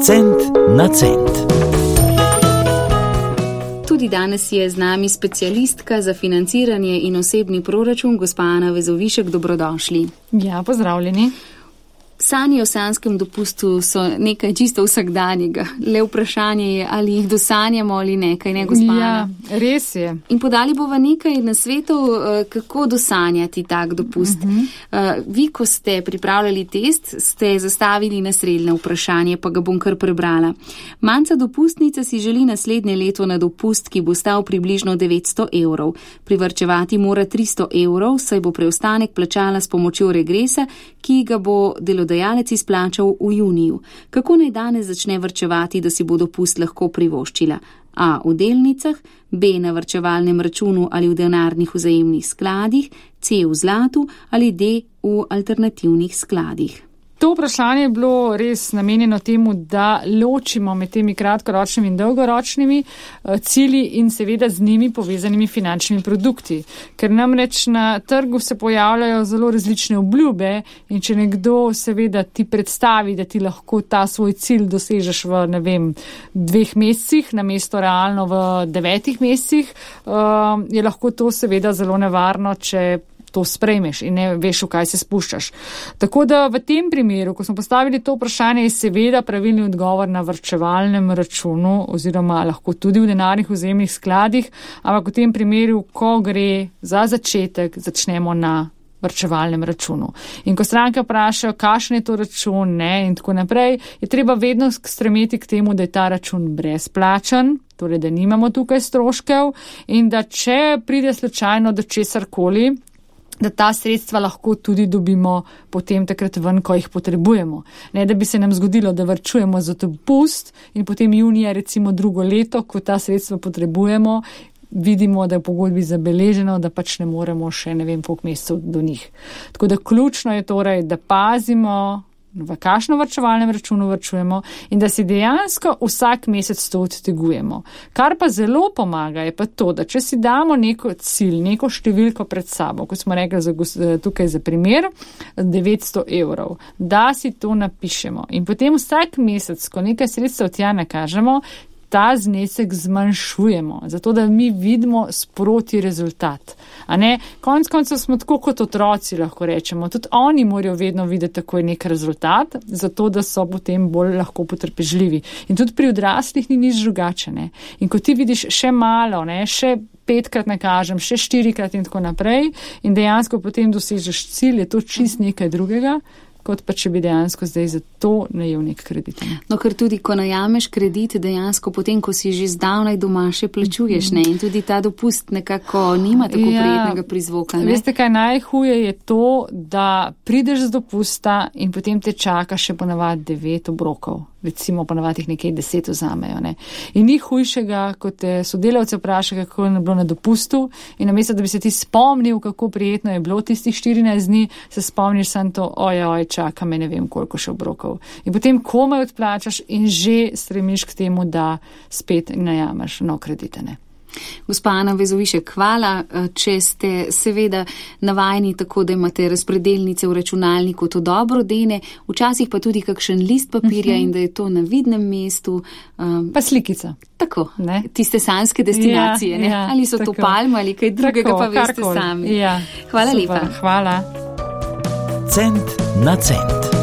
Cent na cent. Tudi danes je z nami specialistka za financiranje in osebni proračun, gospa Ana Vezovišek, dobrodošli. Ja, pozdravljeni. Sanje o sanjskem dopustu so nekaj čisto vsakdanjega. Le vprašanje je, ali jih dosanjamo ali nekaj, ne gospa Ana? Ja, res je. In podali bova nekaj nasvetov, kako dosanjati tak dopust. Vi, ko ste pripravljali test, ste zastavili naslednje vprašanje, pa ga bom kar prebrala. Manjca dopustnica si želi naslednje leto na dopust, ki bo stal približno 900 evrov. Privarčevati mora 300 evrov, saj bo preostanek plačala s pomočjo regresa, ki ga bo delodajalec izplačal v juniju. Kako naj danes začne varčevati, da si bo dopust lahko privoščila? A. V delnicah, B. Na varčevalnem računu ali v denarnih vzajemnih skladih, C. V zlatu ali D. V alternativnih skladih. To vprašanje je bilo res namenjeno temu, da ločimo med temi kratkoročnimi in dolgoročnimi cilji in seveda z njimi povezanimi finančnimi produkti. Ker namreč na trgu se pojavljajo zelo različne obljube in če nekdo seveda ti predstavi, da ti lahko ta svoj cilj dosežeš v, 2 mesecih, namesto realno v 9 mesecih, je lahko to seveda zelo nevarno, če to sprejmeš in ne veš, v kaj se spuščaš. Tako da v tem primeru, ko smo postavili to vprašanje, je seveda pravilni odgovor na varčevalnem računu oziroma lahko tudi v denarnih vzajemnih skladih, ampak v tem primeru, ko gre za začetek, začnemo na varčevalnem računu. In ko stranke vprašajo, kakšen je to račun, in tako naprej, je treba vedno stremeti k temu, da je ta račun brezplačen, torej da nimamo tukaj stroškev in da če pride slučajno do česarkoli, da ta sredstva lahko tudi dobimo potem takrat ven, ko jih potrebujemo. Ne, da bi se nam zgodilo, da varčujemo za dopust in potem junija recimo drugo leto, ko ta sredstva potrebujemo, vidimo, da je v pogodbi zabeleženo, da pač ne moremo še koliko mesecev do njih. Tako da ključno je torej, da pazimo, v kakšno varčevalnem računu varčujemo in da si dejansko vsak mesec to odtegujemo. Kar pa zelo pomaga je pa to, da če si damo neko cilj, neko številko pred sabo, kot smo rekli tukaj za primer, 900 evrov, da si to napišemo in potem vsak mesec, ko nekaj sredstev tja nakažemo, ta znesek zmanjšujemo, zato da mi vidimo sproti rezultat. Konec koncev smo tako kot otroci, lahko rečemo. Tudi oni morajo vedno videti takoj nek rezultat, zato da so potem bolj lahko potrpežljivi. In tudi pri odraslih ni nič drugače. In ko ti vidiš še malo, še 5-krat nakažem, še 4-krat in tako naprej in dejansko potem dosežeš cilj, je to čist nekaj drugega, kot pa če bi dejansko zdaj za to najel nek kredit. No, ker tudi, ko najameš kredit, dejansko potem, ko si že zdavnaj doma, še plačuješ, in tudi ta dopust nekako nima tako prijetnega prizvoka. Veste, kaj najhuje je to, da prideš z dopusta in potem te čaka še ponavadi 9 obrokov. Recimo ponavadi jih nekaj 10 vzamejo. In ni hujšega, kot te sodelavce vpraša, kako je bilo na dopustu in namesto, da bi se ti spomnil, kako prijetno je bilo tistih 14 dni, se spomniš samo to, oj, čaka me ne vem koliko še obrokov. In potem komaj odplačaš in že stremiš k temu, da spet najamaš nov kredit. Gospa Ana Vezovišek, hvala, če ste seveda navajeni tako, da imate razpredelnice v računalniku, to dobro dene, včasih pa tudi kakšen list papirja in da je to na vidnem mestu. Pa slikica. Tako, tiste sanjske destinacije, ali so tako. To palme ali kaj drugega, pa veste sami. Ja, hvala super, lepa. Hvala. Cent na cent.